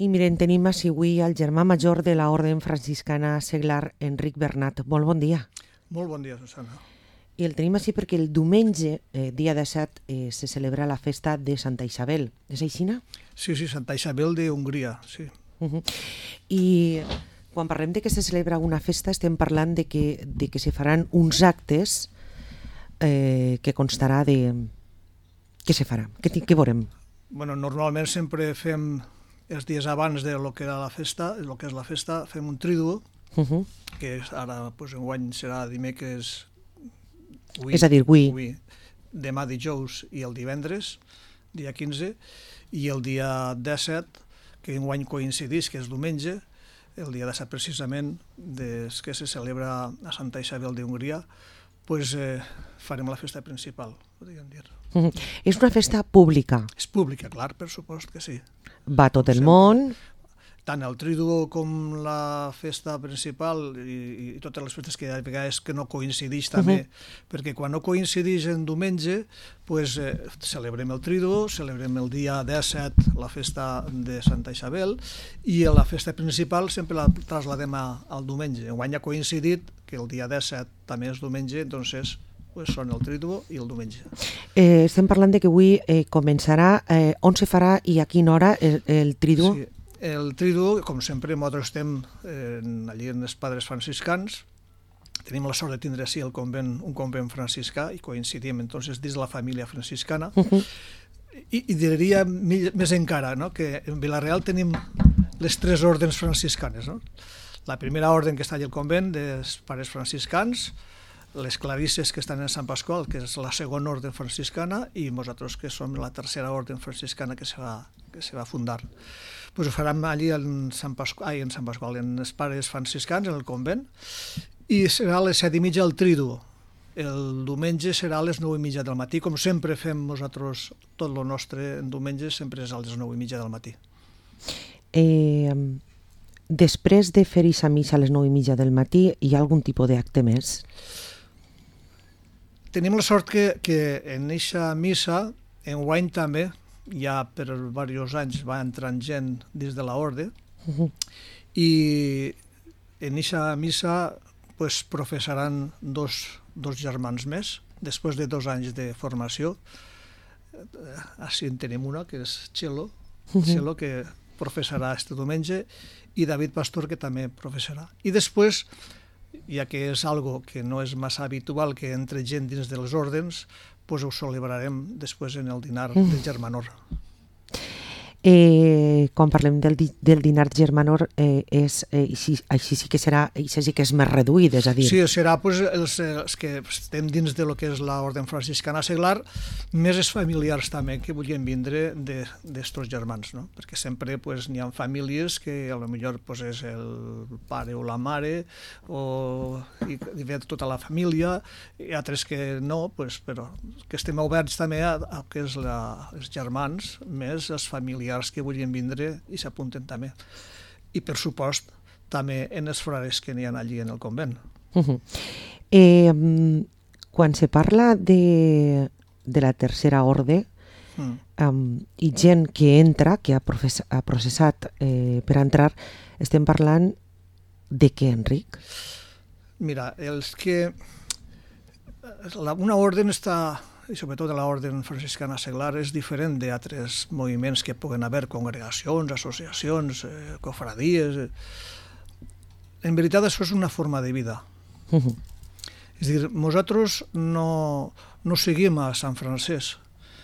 I miren, tenim així avui el germà major de l'Orde Franciscana Seglar, Enric Bernat. Molt bon dia. Molt bon dia, Susana. I el tenim així perquè el diumenge, dia 17, se celebra la festa de Santa Isabel. És així, no? Sí, Santa Isabel d'Hongria, sí. I quan parlem de que se celebra una festa estem parlant de que se faran uns actes que constarà de... Què se farà? Què veurem? Bueno, normalment sempre fem els dies abans de lo que era la festa, el que és la festa, fem un tríduo, que ara, pues, enguany serà dimecres, és a dir, avui, demà dijous i el divendres, dia 15, i el dia 17, que enguany coincidís, que és diumenge, el dia 17 precisament, des que se celebra a Santa Isabel d'Hongria, pues, farem la festa principal, podríem dir. És una festa pública? És pública, clar, per supost que sí. Va tot el món? Tant el tríduo com la festa principal i totes les festes que hi ha vegades que no coincideix també, perquè quan no coincideix en diumenge, pues, celebrem el tríduo, celebrem el dia 17 la festa de Santa Isabel i la festa principal sempre la trasladem al diumenge. Enguany ha coincidit que el dia 17 també és diumenge, doncs pues són el tríduo i el diumenge. Estem parlant de que avui començarà, on se farà i a quina hora el tríduo? Sí, el tríduo, com sempre, nosaltres estem allí en els Padres Franciscans, tenim la sort de tindre així un convent franciscà i coincidim entonces dins la família franciscana. I diria més encara, no? Que en Vila-real tenim les 3 ordens franciscanes. No? La primera orden que està allà al convent dels Pares Franciscans, les clarisses que estan en Sant Pasqual, que és la segona orden franciscana, i nosaltres que som la tercera orden franciscana que se va fundar. Pues ho farem allí en Sant Pasqual, en els Pares Franciscans, en el convent, i serà a les 7:30 el tríduo. El diumenge serà a les 9:30 del matí, com sempre fem nosaltres tot el nostre en diumenge, sempre és a les 9:30 del matí. Després de fer aquesta missa a les 9:30 del matí, hi ha algun tipus d'acte més? Tenim la sort que en aquesta missa, enguany també, ja per diversos anys va entrant gent dins de l'orde, i en aquesta missa pues, professaran dos germans més, després de 2 anys de formació. Així en tenim una, que és Txelo, que professarà este diumenge, i David Pastor, que també professarà. I després, ja que és algo que no és massa habitual que entre gent dins dels ordens, doncs ho celebrarem després en el dinar del Germanor. Quan parlem del dinar Germanor, així sí que serà, això sí que és més reduït, és a dir... Sí, serà els que estem dins de lo que és l'Orde Franciscana Seglar, més els familiars també que vulguin vindre d'estos germans, no? Perquè sempre n'hi ha famílies que potser és el pare o la mare, i ve tota la família, i altres que no, però que estem oberts també a que és els germans, més els familiars que vulguin vindre i s'apunten també. I, per supost, també en els frares que n'hi ha allí en el convent. Quan se parla de la tercera orde i gent que entra, que ha processat per entrar, estem parlant de què, Enric? Mira, una orde està... i sobretot l'Orde Franciscana Seglar és diferent d'altres moviments que puguen haver, congregacions, associacions, cofradies. En veritat, això és una forma de vida. És a dir, nosaltres no seguim a Sant Francesc,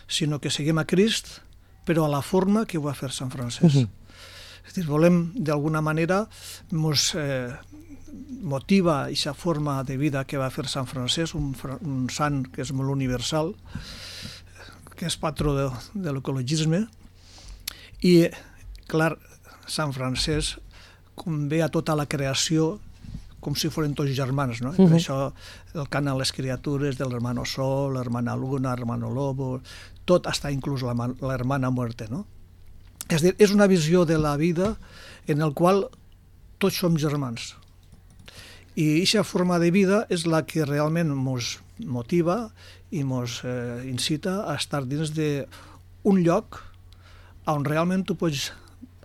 sinó que seguim a Crist, però a la forma que ho va fer Sant Francesc. És a dir, volem, d'alguna manera, motiva aquesta forma de vida que va fer Sant Francesc, un sant que és molt universal, que és patró de l'ecologisme, i, clar, Sant Francesc ve a tota la creació com si foren tots germans, no? Per això el cant a les criatures de l'hermano Sol, l'hermana Luna, l'hermano Lobo, tot està inclús l'hermana Muerte, no? És a dir, és una visió de la vida en la qual tots som germans. I aquesta forma de vida és la que realment ens motiva i ens incita a estar dins d'un lloc on realment tu pots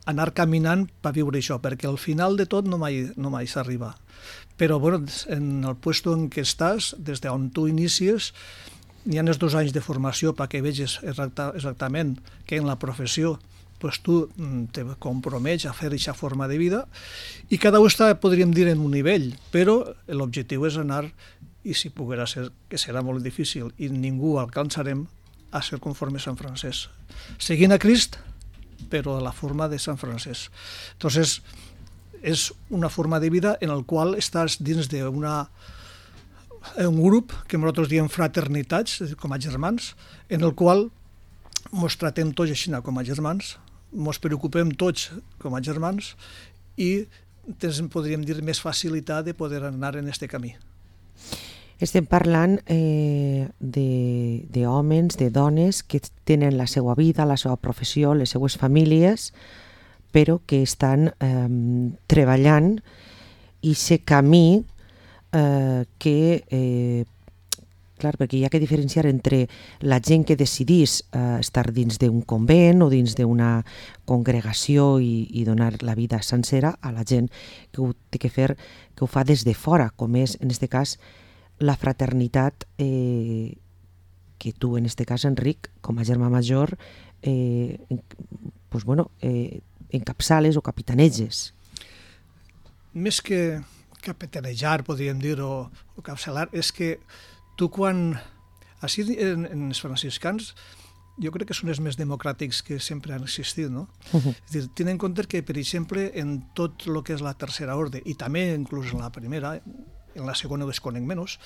anar caminant per viure això, perquè al final de tot no mai s'arriba. Però bueno, en el puesto en què estàs, des d'on tu inicies, hi ha els 2 anys de formació perquè veges exactament que en la professió pues tu te compromets a fer aquesta forma de vida i cada un està, podríem dir, en un nivell, però l'objectiu és anar, i si poguera ser, que serà molt difícil i ningú alcançarem, a ser conforme a Sant Francesc. Seguint a Crist, però de la forma de Sant Francesc. Entonces, és una forma de vida en el qual estàs dins d'un grup que nosaltres diem fraternitats, com a germans, en el qual ens tratem tots així com a germans, ens preocupem tots com a germans i podríem dir més facilitat de poder anar en aquest camí. Estem parlant d'homes, de dones que tenen la seva vida, la seva professió, les seues famílies, però que estan treballant i aquest camí que... Clar, perquè hi ha que diferenciar entre la gent que decidís estar dins d'un convent o dins d'una congregació i donar la vida sencera a la gent que ho té que fer, que ho fa des de fora, com és, en aquest cas, la fraternitat que tu, en aquest cas, Enric, com a germà major, encapçales o capitaneges. Més que capitanejar, podríem dir, o capçalar, és que tu quan... Així en els franciscans jo crec que són els més democràtics que sempre han existit, no? És dir, tenint en compte que, per exemple, en tot el que és la tercera ordre, i també inclús en la primera, en la segona ho desconec menys,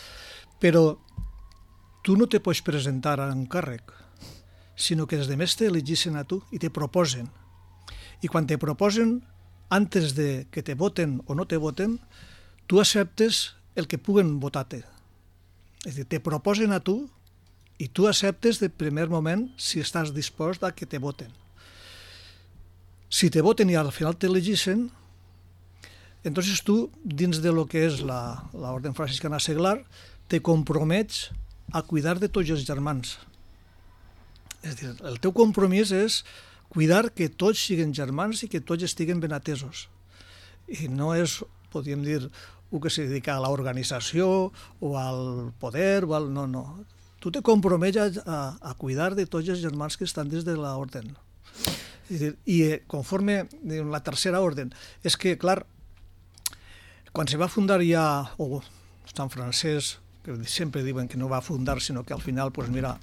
però tu no te pots presentar a un càrrec, sinó que els demés t'elegissen a tu i te proposen. I quan te proposen, antes de que te voten o no te voten, tu acceptes el que puguen votar-te. És a dir, te proposen a tu i tu acceptes de primer moment si estàs dispost a que te voten. Si te voten i al final t'elegissen, entonces tu, dins de lo que és l'Orden Franciscana Seglar, te compromets a cuidar de tots els germans. És a dir, el teu compromís és cuidar que tots siguin germans i que tots estiguen ben atesos. I no és, podríem dir, un que se dedica a l'organització o al poder, no. Tu te compromets a cuidar de tots els germans que estan dins de l'ordre. I conforme la tercera ordre, és que, clar, quan se va fundar ja Sant Francesc, que sempre diuen que no va fundar, sinó que al final, pues mira,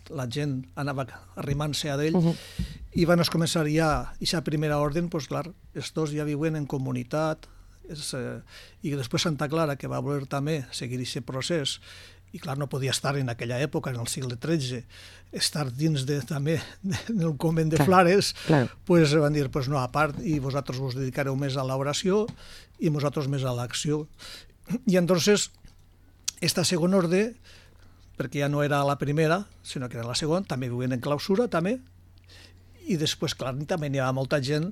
la gent anava arrimant-se a ell, i van començar ja aquesta primera ordre, pues clar, els dos ja viuen en comunitat, i després Santa Clara, que va voler també seguir aquest procés, i clar, no podia estar en aquella època, en el segle XIII, estar dins també del convent de Flares, pues van dir, pues no, a part, i vosaltres us dedicareu més a l'oració i vosaltres més a l'acció. I entonces, esta segona ordre, perquè ja no era la primera, sinó que era la segona, també viuen en clausura, també, i després, clar, també n'hi ha molta gent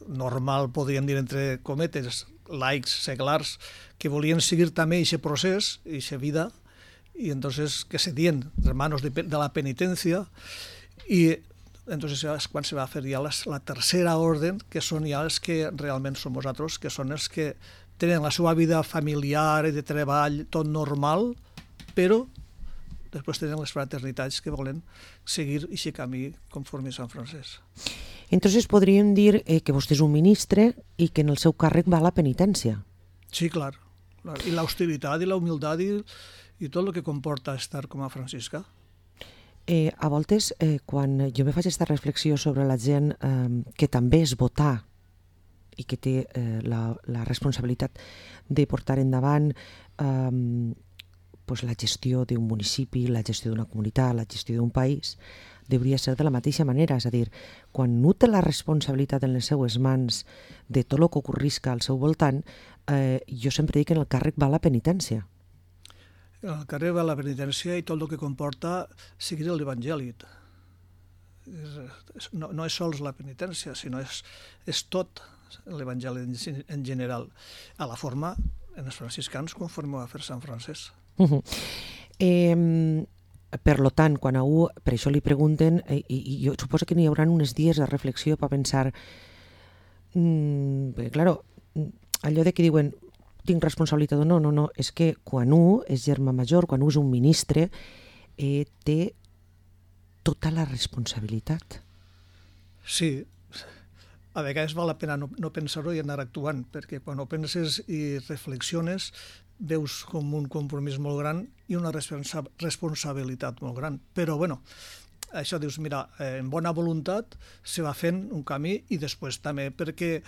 normal, podríem dir, entre cometes, laics, seglars, que volien seguir també aquest procés, aquesta vida, i entonces que se dien hermanos de la penitencia, i entonces és quan se va fer ja la tercera orden, que són ja els que realment som vosaltres, que són els que tenen la seva vida familiar i de treball, tot normal, però després tenen les fraternitats que volen seguir aquest camí conforme a Sant Francesc. Entonces podríem dir que vostè és un ministre i que en el seu càrrec va la penitència. Sí, clar. I l'austeritat i la humilitat i tot el que comporta estar com a franciscà. A voltes, quan jo me faig aquesta reflexió sobre la gent que també és votar i que té la responsabilitat de portar endavant la gestió d'un municipi, la gestió d'una comunitat, la gestió d'un país, hauria ser de la mateixa manera. És a dir, quan no té la responsabilitat en les seues mans de tot el que ocorrisca al seu voltant, jo sempre dic que en el càrrec va la penitència. El càrrec va la penitència i tot el que comporta seguir l'Evangeli. No és sols la penitència, sinó és tot l'Evangeli en general, a la forma, en els franciscans, conforme va fer Sant Francesc. per lo tant, quan a un, per això li pregunten, i jo suposo que n'hi haurà uns dies de reflexió per pensar, claro, allò de que diuen tinc responsabilitat o no, no, és que quan un és germà major, quan un és un ministre, té tota la responsabilitat. Sí, a vegades val la pena no pensar-ho i anar actuant, perquè quan ho penses i reflexiones veus com un compromís molt gran i una responsabilitat molt gran. Però, bueno, això dius, mira, en bona voluntat se va fent un camí i després també perquè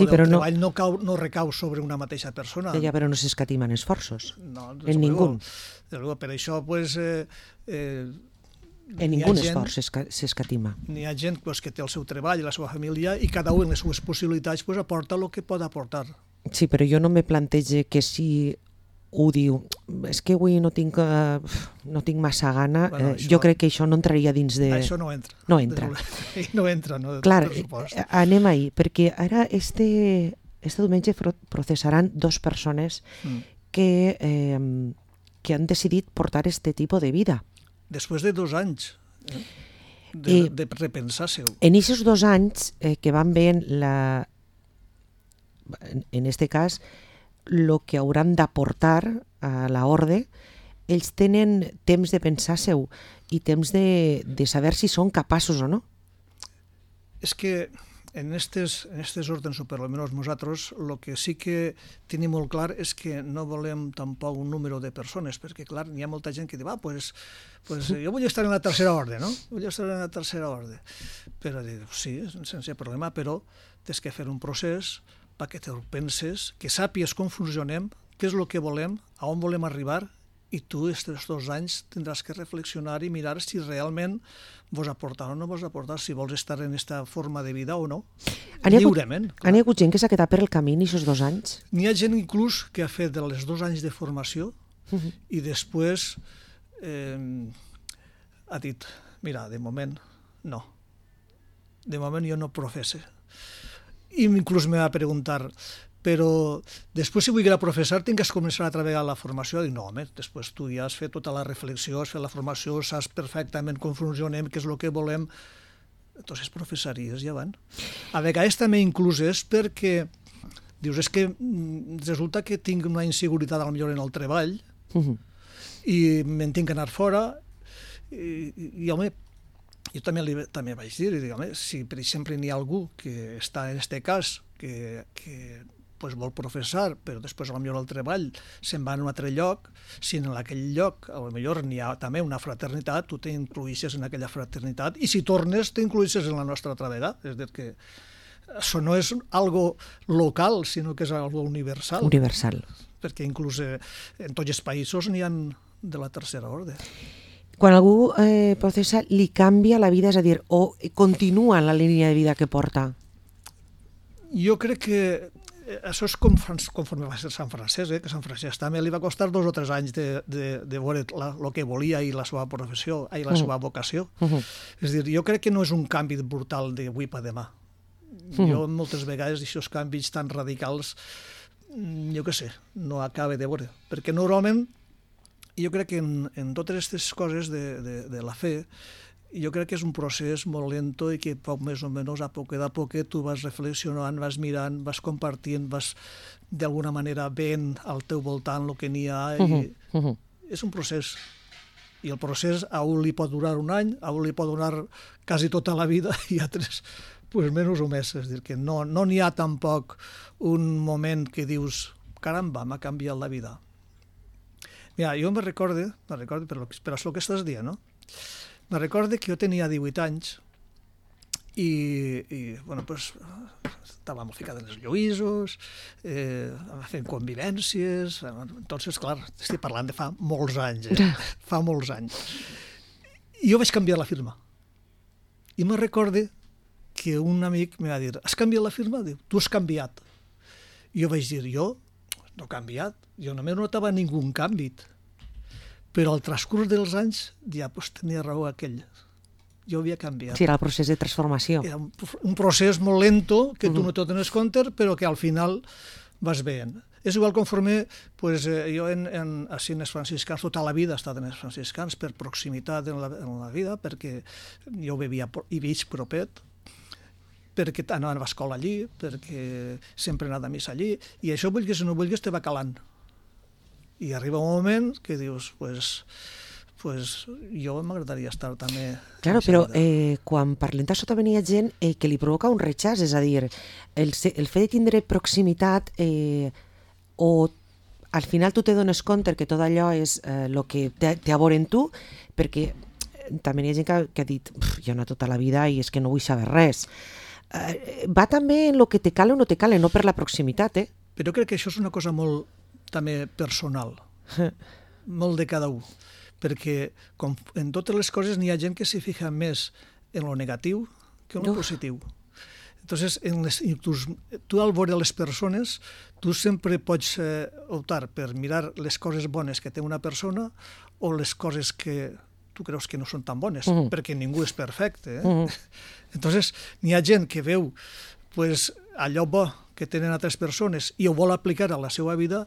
el treball no recau sobre una mateixa persona. Ja, però no s'escatimen esforços. No, en ningú. Per això, pues... en ningú esforç s'escatima. N'hi ha gent que té el seu treball i la seva família i cada un en les seves possibilitats aporta el que pot aportar. Sí, però jo no me plantege que si ho diu, és que avui no tinc massa gana, jo crec que això no entraria dins de... Això no entra. No entra. No entra, no. Clar, anem ahí, perquè ara este diumenge processaran 2 persones que han decidit portar este tipus de vida. Després de 2 anys de repensar-se-ho. En aquests 2 anys que van veient en este cas el que hauran d'aportar a l'orde, ells tenen temps de pensar-se-ho i temps de saber si són capaços o no. És que en aquestes ordres, o per almenys nosaltres, el que sí que tenim molt clar és que no volem tampoc un número de persones, perquè, clar, hi ha molta gent que diu, pues jo vull estar en la tercera ordre, no? Vull estar en la tercera ordre. Però sí, sense problema, però tens que fer un procés perquè te'l penses, que sàpies com funcionem, què és el que volem, a on volem arribar, i tu, aquests 2 anys, tindràs que reflexionar i mirar si realment vos aportar o no vos aportar, si vols estar en aquesta forma de vida o no, lliurement. N'hi ha hagut gent que s'ha quedat per el camí en aquests 2 anys? N'hi ha gent inclús que ha fet els 2 anys de formació i després ha dit, mira, de moment no. De moment jo no professe. I inclús me va preguntar, però després si vull professar tinc que començar a treballar la formació. Dic, no, home, després tu ja has fet tota la reflexió, has fet la formació, saps perfectament com funcionem, què és el que volem, entonces professaries ja van. A vegades també inclús és perquè dius, és que resulta que tinc una inseguretat millor en el treball i me'n tinc que anar fora i home, jo també vaig dir, home, si per exemple n'hi ha algú que està en aquest cas que vol professar, però després potser el treball se'n va a un altre lloc, si en aquell lloc potser n'hi ha també una fraternitat, tu t'incluïsses en aquella fraternitat i si tornes t'incluïsses en la nostra altra vegada. És a dir, que això no és algo local, sinó que és algo universal. Universal. Perquè inclús en tots els països n'hi ha de la tercera ordre. Quan algú processa, li canvia la vida, és a dir, o continua en la línia de vida que porta? Jo crec que això és conforme va ser Sant Francesc, que Sant Francesc també li va costar 2 o 3 anys de veure el que volia i la seva professió, i la seva vocació. És a dir, jo crec que no és un canvi brutal d'avui per demà. Jo moltes vegades aquests canvis tan radicals, jo què sé, no acabe de veure. Perquè normalment jo crec que en totes aquestes coses de la fe, jo crec que és un procés molt lento i que poc més o menys a poc tu vas reflexionant, vas mirant, vas compartint, vas d'alguna manera veient al teu voltant el que n'hi ha. És un procés. I el procés a un li pot durar un any, a un li pot durar quasi tota la vida i a altres menys o més. És a dir, que no n'hi ha tampoc un moment que dius caramba, m'ha canviat la vida. Mira, jo me recorde per això que estàs dient, no? Me recorde que jo tenia 18 anys i bueno, pues, estàvem ficats en els lluïsos, fent convivències, entonces, clar, estic parlant de fa molts anys, fa molts anys. I jo vaig canviar la firma. I me recorde que un amic me va dir, has canviat la firma? Diu, tu has canviat. I jo vaig dir, jo no he canviat, jo només no notava ningú canvi. Però al transcurs dels anys ja tenia raó aquell. Jo havia canviat. Sí, era el procés de transformació. Era un procés molt lento que tu no te dones compte, però que al final vas veient. És igual conforme, pues, jo així en els franciscans, tota la vida he estat en els franciscans, per proximitat en la vida, perquè jo vivia i veig propet, perquè anava a escola allí, perquè sempre he anat a missa allí, i això, vulguis o no vulguis, te va calant. I arriba un moment que dius, pues jo m'agradaria estar també... Claro, però quan parlem d'això també hi ha gent que li provoca un rechaç, és a dir, el fet de tindre proximitat o al final tu te dones compte que tot allò és el que té a veure en tu, perquè també hi ha gent que ha dit jo he anat tota la vida i és que no vull saber res. Va també en el que te cale o no te cale, no per la proximitat, Però crec que això és una cosa molt també personal, molt de cada un, perquè en totes les coses n'hi ha gent que s'hi fija més en lo negatiu que en lo positiu. Entonces, tu al veure les persones, tu sempre pots optar per mirar les coses bones que té una persona o les coses que tu creus que no són tan bones, perquè ningú és perfecte. Entonces, n'hi ha gent que veu allò bo que tenen altres persones i ho vol aplicar a la seva vida,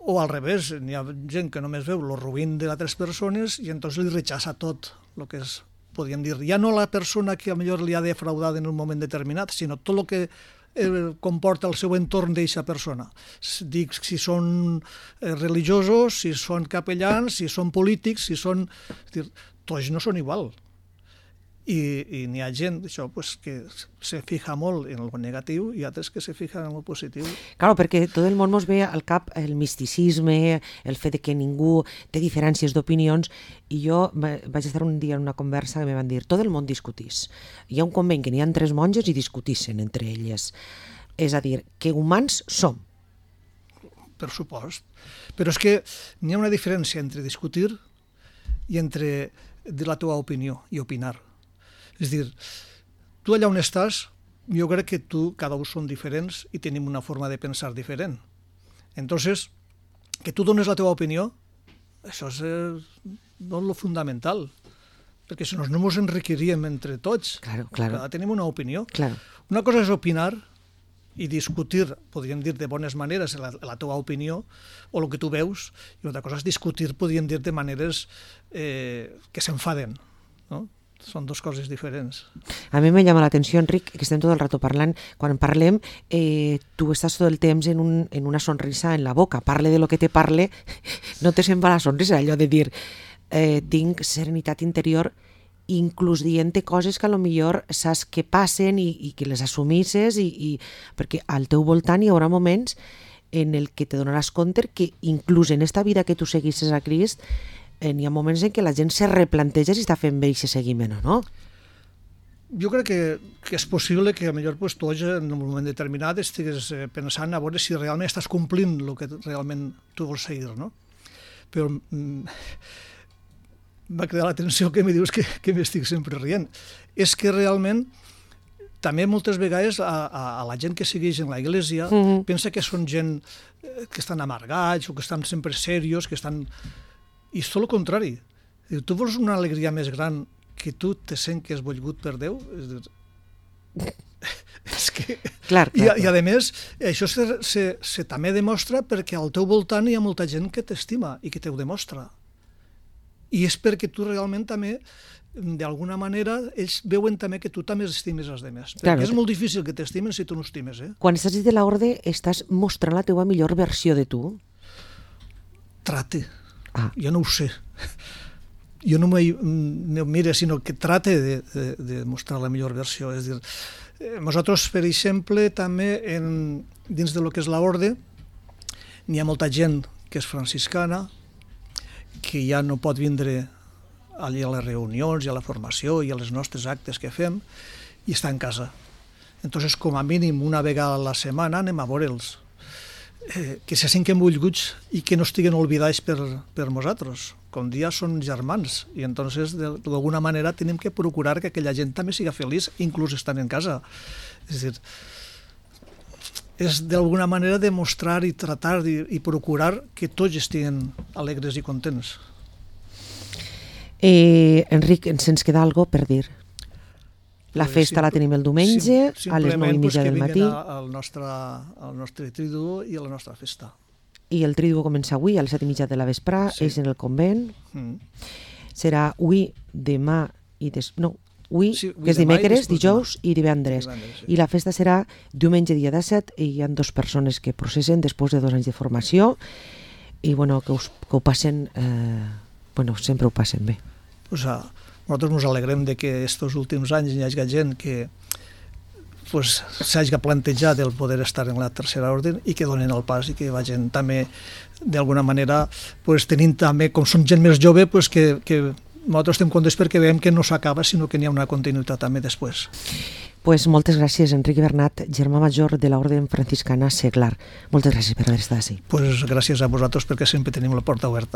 o al revés, n'hi ha gent que només veu el ruïn de altres persones i entonces li rechaça tot el que és, podríem dir, ja no la persona que potser li ha defraudat en un moment determinat, sinó tot el que comporta el seu entorn d'aquesta persona. Dic, si són religiosos, si són capellans, si són polítics, si són... Tots no són igual. I n'hi ha gent això, que se fija molt en el negatiu i altres que se fijen en el positiu. Claro, perquè tot el món ens ve al cap el misticisme, el fet que ningú té diferències d'opinions, i jo vaig estar un dia en una conversa que me van dir tot el món discutís. Hi ha un convent que n'hi ha 3 monges i discutissen entre elles. És a dir, que humans som. Per supost. Però és que n'hi ha una diferència entre discutir i entre dir la teva opinió i opinar. És dir, tu allà on estàs, jo crec que cada un són diferents i tenim una forma de pensar diferent. Entonces, que tu dones la teva opinió, això és lo fundamental, perquè si no ens enriquiríem entre tots. Claro. Cada tenim una opinió. Claro. Una cosa és opinar i discutir, podríem dir de bones maneres, la teva opinió o el que tu veus, i una altra cosa és discutir, podríem dir, de maneres que s'enfaden, no? Són 2 coses diferents. A mi me llama l'atenció, Enric, que estem tot el rato parlant. Quan parlem, tu estàs tot el temps en una sonrisa en la boca. Parle de lo que te parle, no te se'n va la sonrisa. Allò de dir, tinc serenitat interior, inclús dient coses que a lo millor saps que passen i que les assumisses, perquè al teu voltant hi haurà moments en el que te donaràs compte que inclús en esta vida que tu seguisses a Crist, n'hi ha moments en què la gent se replanteja si està fent bé aquest seguiment o no. Jo crec que és possible que potser tu en un moment determinat estigues pensant a veure si realment estàs complint el que realment tu vols seguir, no? Però m'ha cridat l'atenció que me dius que m'estic sempre rient. És que realment també moltes vegades a la gent que segueix en la Iglesia pensa que són gent que estan amargats o que estan sempre serios, que estan... I és tot el contrari. Tu vols una alegria més gran que tu te sent que és volgut per Déu? És que... Clar. I a més, això se també demostra perquè al teu voltant hi ha molta gent que t'estima i que t'ho demostra. I és perquè tu realment també, d'alguna manera, ells veuen també que tu també estimes els demés. Perquè és molt difícil que t'estimen si tu no estimes. Quan estàs de l'orde, estàs mostrant la teva millor versió de tu? Trate. Jo no ho sé. Jo no me mire, sinó que trate de mostrar la millor versió. És dir, nosaltres, per exemple, també dins de lo que és l'orde, n'hi ha molta gent que és franciscana, que ja no pot vindre allà a les reunions i a la formació i a les nostres actes que fem, i està en casa. Entonces, com a mínim, una vegada a la setmana anem a veure'ls. Que se senten volguts i que no estiguen oblidats per nosaltres. Com dia són germans i entonces d'alguna manera tenim que procurar que aquella gent també siga feliç, inclús estant en casa. És dir, és d'alguna manera demostrar i tratar i procurar que tots estiguen alegres i contents. Enric, ens queda alguna cosa per dir? La festa la tenim el diumenge a les 9:30 del matí. Al nostre triduo i a la nostra festa. I el triduo comença avui a les 7:30 de la vesprà, és en el convent. Serà avui, demà i que és dimecres, dijous i divendres. I la festa serà diumenge dia 17 i hi ha 2 persones que processen després de 2 anys de formació i que ho passen, sempre ho passen bé. Nosaltres ens alegrem de que aquests últims anys hi hagi gent que s'hagi plantejat el poder estar en la tercera ordre i que donen el pas i que vagin també d'alguna manera tenint també, com som gent més jove, que nosaltres estem contents perquè veiem que no s'acaba sinó que n'hi ha una continuïtat també després. Moltes gràcies, Enric Bernat, germà major de l'Orde Franciscana Seglar. Moltes gràcies per haver estat així. Gràcies a vosaltres perquè sempre tenim la porta oberta.